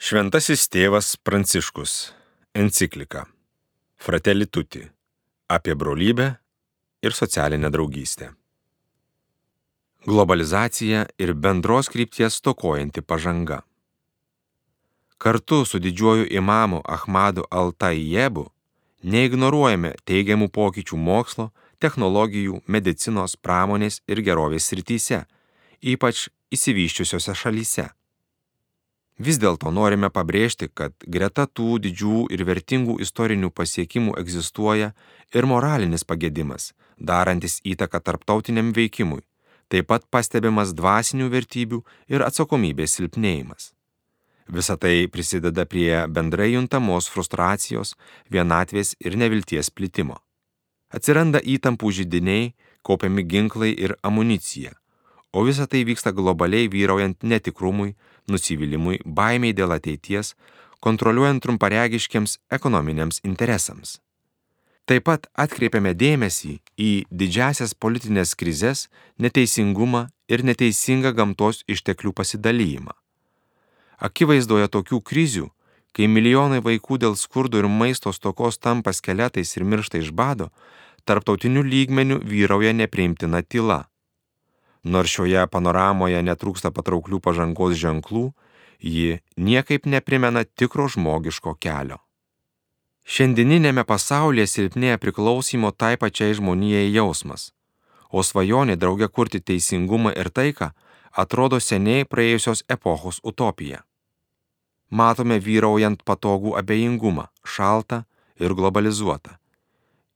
Šventasis tėvas Pranciškus. Enciklika Fratelli Tutti apie brolybę ir socialinę draugystę. Globalizacija ir bendros krypties stokojanti pažanga. Kartu su didžiuoju imamu Ahmadu Al-Tayyebu neignoruojame teigiamų pokyčių mokslo, technologijų, medicinos, pramonės ir gerovės srityse, ypač išsivysčiusiose šalyse. Vis dėlto norime pabrėžti, kad greta tų didžių ir vertingų istorinių pasiekimų egzistuoja ir moralinis pagedimas, darantis įtaką tarptautiniam veikimui, taip pat pastebimas dvasinių vertybių ir atsakomybės silpnėjimas. Visa tai prisideda prie bendrai juntamos frustracijos, vienatvės ir nevilties plitimo. Atsiranda įtampų židiniai, kaupiami ginklai ir amunicija, o visa tai vyksta globaliai vyraujant netikrumui, nusivylimui, baimiai dėl ateities, kontroliuojant trumparegiškiams ekonominiams interesams. Taip pat atkreipiame dėmesį į didžiasias politinės krizes, neteisingumą ir neteisingą gamtos išteklių pasidalijimą. Akivaizdoje tokių krizių, kai milijonai vaikų dėl skurdo ir maisto stokos tampa skeletais ir miršta iš bado, tarptautiniu lygmeniu vyrauja nepriimtina tyla. Nors šioje panoramoje netrūksta patrauklių pažangos ženklų, ji niekaip neprimena tikro žmogiško kelio. Šiandieninėme pasaulyje silpnėja priklausymo tai pačiai žmonijai jausmas, o svajonė drauge kurti teisingumą ir taiką atrodo seniai praėjusios epochos utopija. Matome vyraujant patogų abejingumą, šaltą ir globalizuotą.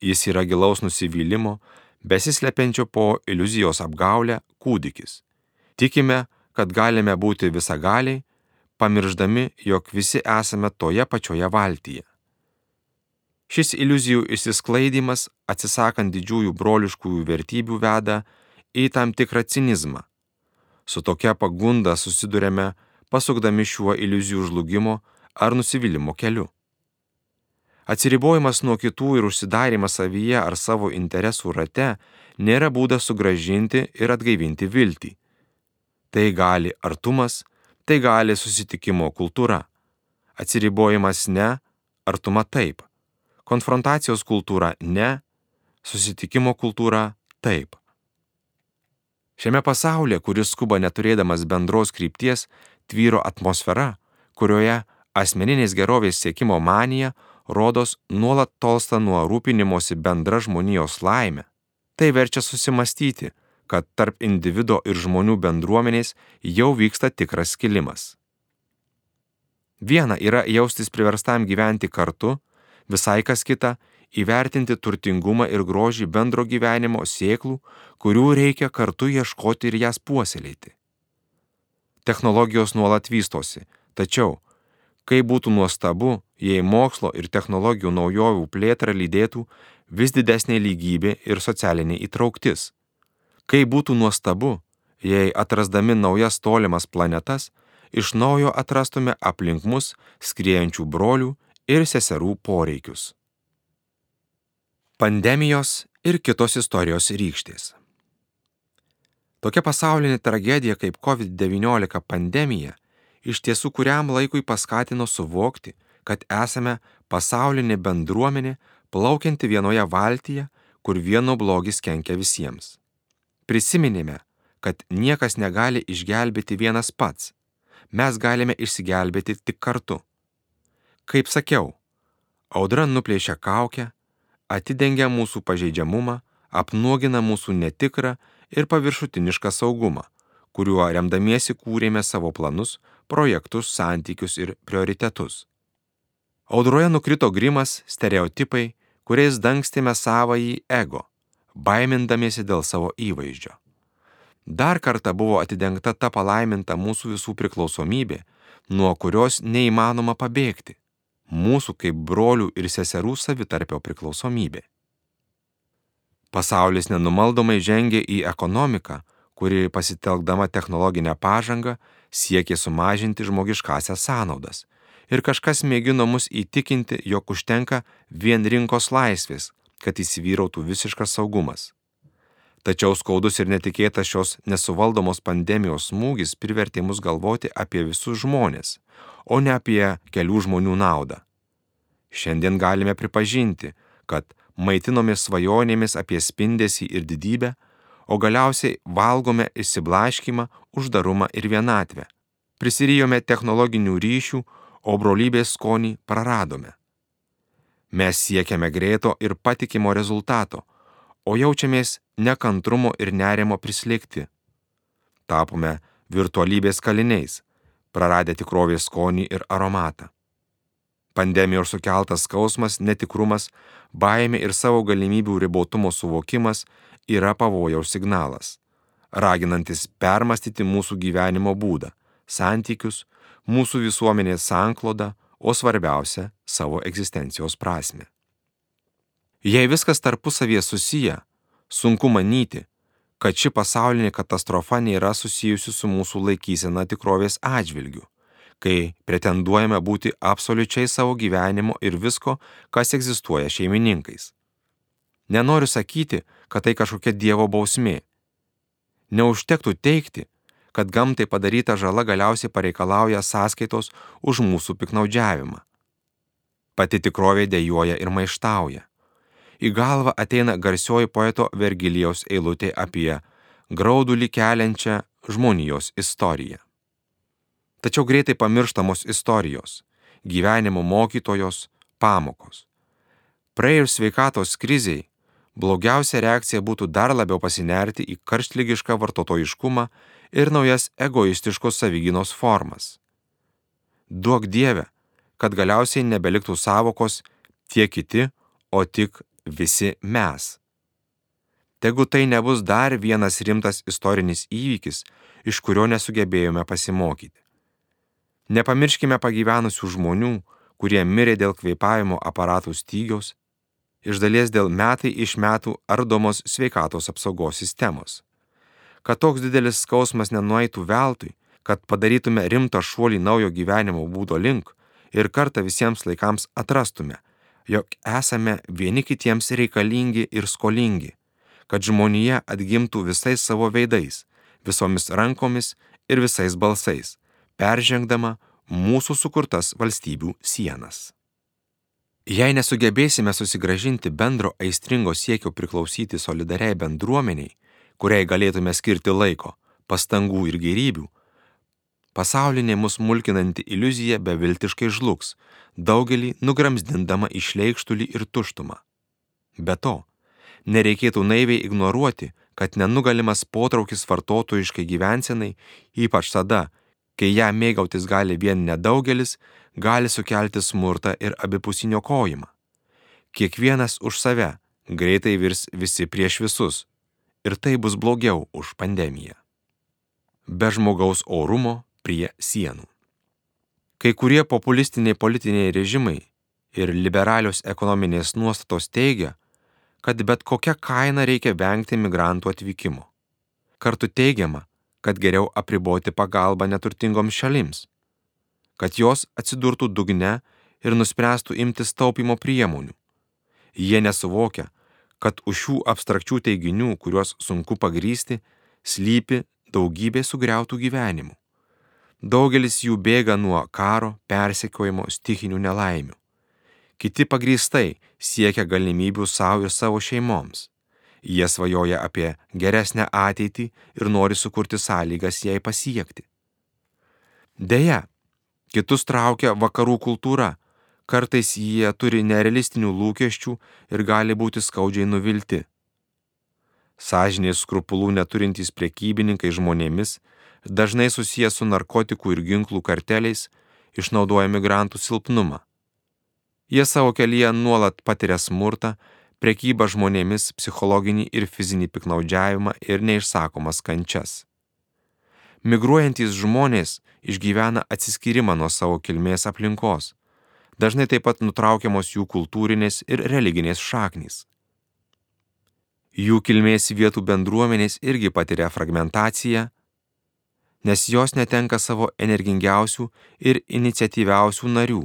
Jis yra gilaus nusivylimo, besislepiančio po iliuzijos apgaulę kūdikis. Tikime, kad galime būti visagaliai, pamirždami, jog visi esame toje pačioje valtyje. Šis iliuzijų išsisklaidimas, atsisakant didžiųjų broliškųjų vertybių, veda į tam tikrą cinizmą. Su tokia pagunda susidurėme, pasukdami šiuo iliuzijų žlugimo ar nusivylimo keliu. Atsiribojimas nuo kitų ir užsidarimas savyje ar savo interesų rate nėra būdas sugrąžinti ir atgaivinti viltį. Tai gali artumas, tai gali susitikimo kultūra. Atsiribojimas ne, artuma taip. Konfrontacijos kultūra ne, susitikimo kultūra taip. Šiame pasaulyje, kuris skuba neturėdamas bendros krypties, tvyro atmosfera, kurioje asmeninės gerovės siekimo manija rodos nuolat tolsta nuo rūpinimosi bendra žmonijos laime. Tai verčia susimastyti, kad tarp individo ir žmonių bendruomenės jau vyksta tikras skilimas. Viena yra jaustis priverstam gyventi kartu, visai kas kita įvertinti turtingumą ir grožį bendro gyvenimo sėklų, kurių reikia kartu ieškoti ir jas puoselėti. Technologijos nuolat vystosi, tačiau kaip būtų nuostabu, jei mokslo ir technologijų naujovių plėtrą lydėtų vis didesnė lygybė ir socialinė įtrauktis. Kaip būtų nuostabu, jei atrasdami naujas tolimas planetas, iš naujo atrastume aplink mus skriejančių brolių ir seserų poreikius. Pandemijos ir kitos istorijos rykštės. Tokia pasaulinė tragedija kaip COVID-19 pandemija iš tiesų kuriam laikui paskatino suvokti, kad esame pasaulinė bendruomenė plaukianti vienoje valtyje, kur vieno blogis kenkia visiems. Prisiminėme, kad niekas negali išgelbėti vienas pats. Mes galime išsigelbėti tik kartu. Kaip sakiau, audra nuplėšia kaukę, atidengia mūsų pažeidžiamumą, apnuogina mūsų netikrą ir paviršutinišką saugumą, kuriuo remdamiesi kūrėme savo planus, projektus, santykius ir prioritetus. Audroje nukrito grimas, stereotipai, kuriais dangstėme savąjį ego, baimindamiesi dėl savo įvaizdžio. Dar kartą buvo atidengta ta palaiminta mūsų visų priklausomybė, nuo kurios neįmanoma pabėgti, mūsų kaip brolių ir seserų savitarpio priklausomybė. Pasaulis nenumaldomai žengė į ekonomiką, kuri pasitelkdama technologinę pažangą siekė sumažinti žmogiškąsias sąnaudas ir kažkas mėgino mus įtikinti, jog užtenka vien rinkos laisvės, kad įsivyrautų visiškas saugumas. Tačiau skaudus ir netikėtas šios nesuvaldomos pandemijos smūgis privertė mus galvoti apie visus žmones, o ne apie kelių žmonių naudą. Šiandien galime pripažinti, kad maitinomės svajonėmis apie spindesį ir didybę, o galiausiai valgome išsiblaškymą, uždarumą ir vienatvę. Prisirijome technologinių ryšių, o brolybės skonį praradome. Mes siekiame greito ir patikimo rezultato, o jaučiamės nekantrumo ir nerimo prislėgti. Tapome virtualybės kaliniais, praradę tikrovės skonį ir aromatą. Pandemijos sukeltas skausmas, netikrumas, baimė ir savo galimybių ribotumo suvokimas yra pavojaus signalas, raginantis permastyti mūsų gyvenimo būdą, santykius, mūsų visuomenės sanklodą, o svarbiausia – savo egzistencijos prasmę. Jei viskas tarpusavyje susiję, sunku manyti, kad ši pasaulinė katastrofa nėra susijusi su mūsų laikysena tikrovės atžvilgiu, kai pretenduojame būti absoliučiai savo gyvenimo ir visko, kas egzistuoja šeimininkais. Nenoriu sakyti, kad tai kažkokia Dievo bausmė. Neužtektų teigti, kad gamtai padaryta žala galiausiai pareikalauja sąskaitos už mūsų piknaudžiavimą. Pati tikrovė dejuoja ir maištauja. Į galvą ateina garsioji poeto Vergilijaus eilutė apie graudulį keliančią žmonijos istoriją. Tačiau greitai pamirštamos istorijos, gyvenimo mokytojos, pamokos. Praėjus sveikatos krizei, blogiausia reakcija būtų dar labiau pasinerti į karštligišką vartotojiškumą ir naujas egoistiškos savigynos formas. Duok Dieve, kad galiausiai nebeliktų sąvokos tie kiti, o tik visi mes. Tegu tai nebus dar vienas rimtas istorinis įvykis, iš kurio nesugebėjome pasimokyti. Nepamirškime pagyvenusių žmonių, kurie mirė dėl kvėpavimo aparatų stygiaus, iš dalies dėl metai iš metų ardomos sveikatos apsaugos sistemos. Kad toks didelis skausmas nenueitų veltui, kad padarytume rimtą šuolį naujo gyvenimo būdo link ir kartą visiems laikams atrastume, jog esame vieni kitiems reikalingi ir skolingi, kad žmonija atgimtų visais savo veidais, visomis rankomis ir visais balsais, peržengdama mūsų sukurtas valstybių sienas. Jei nesugebėsime susigrąžinti bendro aistringo siekio priklausyti solidariai bendruomeniai, kuriai galėtume skirti laiko, pastangų ir gėrybių, pasaulinė mus mulkinanti iliuzija beviltiškai žlugs, daugelį nugramzdindama į šleikštulį ir tuštumą. Be to, nereikėtų naiviai ignoruoti, kad nenugalimas potraukis vartotojiškai gyvensenai, ypač tada, kai ją mėgautis gali vien nedaugelis, gali sukelti smurtą ir abipusinio kojimą. Kiekvienas už save greitai virs visi prieš visus, ir tai bus blogiau už pandemiją. Be žmogaus orumo prie sienų. Kai kurie populistiniai politiniai režimai ir liberalios ekonominės nuostatos teigia, kad bet kokia kaina reikia vengti migrantų atvykimo. Kartu teigiama, kad geriau apriboti pagalbą neturtingoms šalims, kad jos atsidurtų dugne ir nuspręstų imtis taupymo priemonių. Jie nesuvokia, kad už šių abstrakčių teiginių, kuriuos sunku pagrįsti, slypi daugybė sugriautų gyvenimų. Daugelis jų bėga nuo karo, persekiojimo, stichinių nelaimių. Kiti pagrįstai siekia galimybių savo ir savo šeimoms. Jie svajoja apie geresnę ateitį ir nori sukurti sąlygas jai pasiekti. Deja, kitus traukia vakarų kultūra, kartais jie turi nerealistinių lūkesčių ir gali būti skaudžiai nuvilti. Sąžinės skrupulų neturintys prekybininkai žmonėmis, dažnai susiję su narkotikų ir ginklų karteliais, išnaudoja migrantų silpnumą. Jie savo kelyje nuolat patiria smurtą, prekybą žmonėmis, psichologinį ir fizinį piknaudžiavimą ir neišsakomas kančias. Migruojantys žmonės išgyvena atsiskyrimą nuo savo kilmės aplinkos, dažnai taip pat nutraukiamos jų kultūrinės ir religinės šaknys. Jų kilmės vietų bendruomenės irgi patiria fragmentaciją, nes jos netenka savo energingiausių ir iniciatyviausių narių.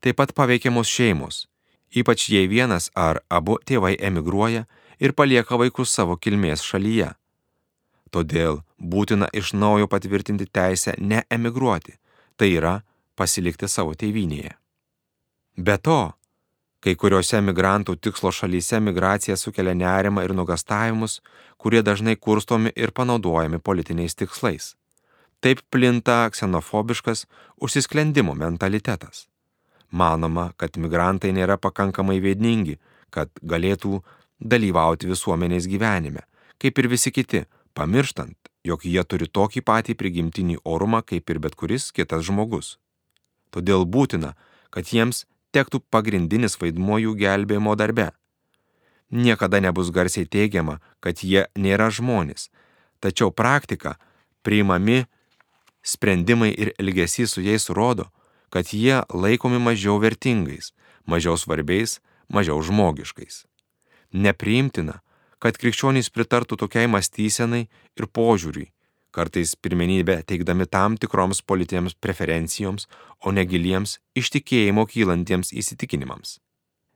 Taip pat paveikiamos šeimos, ypač jei vienas ar abu tėvai emigruoja ir palieka vaikus savo kilmės šalyje. Todėl būtina iš naujo patvirtinti teisę neemigruoti, tai yra pasilikti savo tėvynėje. Be to, kai kuriuose migrantų tikslo šalyse migracija sukelia nerimą ir nuogąstavimus, kurie dažnai kurstomi ir panaudojami politiniais tikslais. Taip plinta ksenofobiškas užsisklendimo mentalitetas. Manoma, kad migrantai nėra pakankamai vieningi, kad galėtų dalyvauti visuomenės gyvenime, kaip ir visi kiti, pamirštant, jog jie turi tokį patį prigimtinį orumą kaip ir bet kuris kitas žmogus. Todėl būtina, kad jiems tektų pagrindinis vaidmuo jų gelbėjimo darbe. Niekada nebus garsiai teigiama, kad jie nėra žmonės, tačiau praktika, priimami sprendimai ir elgesys su jais rodo, kad jie laikomi mažiau vertingais, mažiau svarbiais, mažiau žmogiškais. Nepriimtina, kad krikščionys pritartų tokiai mąstysenai ir požiūriui, kartais pirmenybę teikdami tam tikroms politinėms preferencijoms, o ne giliems iš tikėjimo kylantiems įsitikinimams.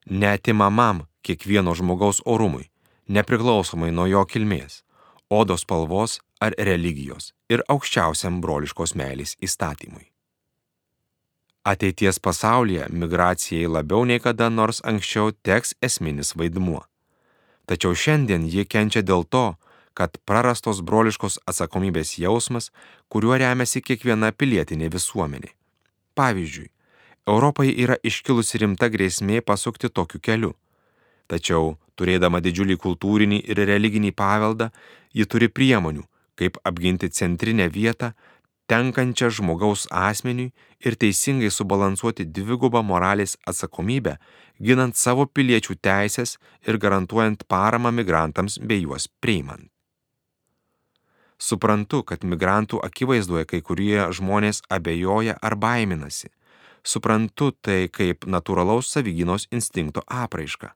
Neatimamam kiekvieno žmogaus orumui, nepriklausomai nuo jo kilmės, odos spalvos ar religijos ir aukščiausiam broliškos meilės įstatymui. Ateities pasaulyje migracijai labiau nei kada nors anksčiau teks esminis vaidmuo. Tačiau šiandien ji kenčia dėl to, kad prarastos broliškos atsakomybės jausmas, kuriuo remiasi kiekviena pilietinė visuomenė. Pavyzdžiui, Europai yra iškilusi rimta grėsmė pasukti tokiu keliu. Tačiau, turėdama didžiulį kultūrinį ir religinį paveldą, ji turi priemonių, kaip apginti centrinę vietą, tenkančią žmogaus asmeniui ir teisingai subalansuoti dvigubą moralės atsakomybę, ginant savo piliečių teisės ir garantuojant paramą migrantams bei juos priimant. Suprantu, kad migrantų akivaizdoje kai kurie žmonės abejoja ar baiminasi. Suprantu tai kaip natūralaus savigynos instinkto apraiška.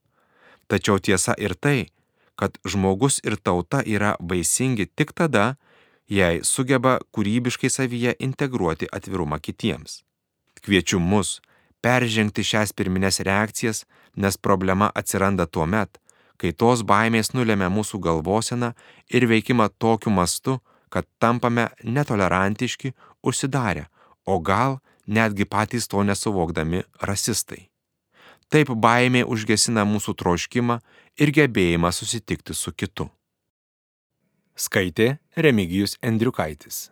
Tačiau tiesa ir tai, kad žmogus ir tauta yra vaisingi tik tada, jei sugeba kūrybiškai savyje integruoti atvirumą kitiems. Kviečiu mus peržengti šias pirmines reakcijas, nes problema atsiranda tuomet, kai tos baimės nulemia mūsų galvoseną ir veikimą tokiu mastu, kad tampame netolerantiški, užsidarę, o gal netgi patys to nesuvokdami rasistai. Taip baimė užgesina mūsų troškimą ir gebėjimą susitikti su kitu. Skaitė Remigijus Endriukaitis.